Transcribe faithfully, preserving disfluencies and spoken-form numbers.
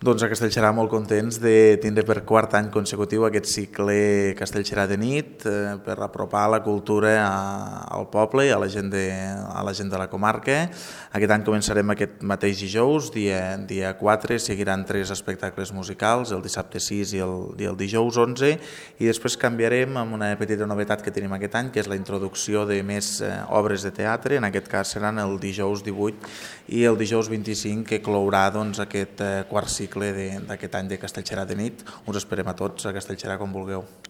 Doncs a Castellserà molt contents de tindre per quart any consecutiu aquest cicle Castellserà de nit eh, per apropar la cultura a, al poble i a la, gent de, a la gent de la comarca. Aquest any començarem aquest mateix dijous, dia, dia quatre, seguiran tres espectacles musicals, el dissabte sis i el, i el dijous onze, i després canviarem amb una petita novetat que tenim aquest any, que és la introducció de més eh, obres de teatre. En aquest cas seran el dijous divuit i el dijous vint-i-cinc, que clourà doncs, aquest eh, quart cicle d'aquest any de Castellserà de nit. Us esperem a tots a Castellserà com vulgueu.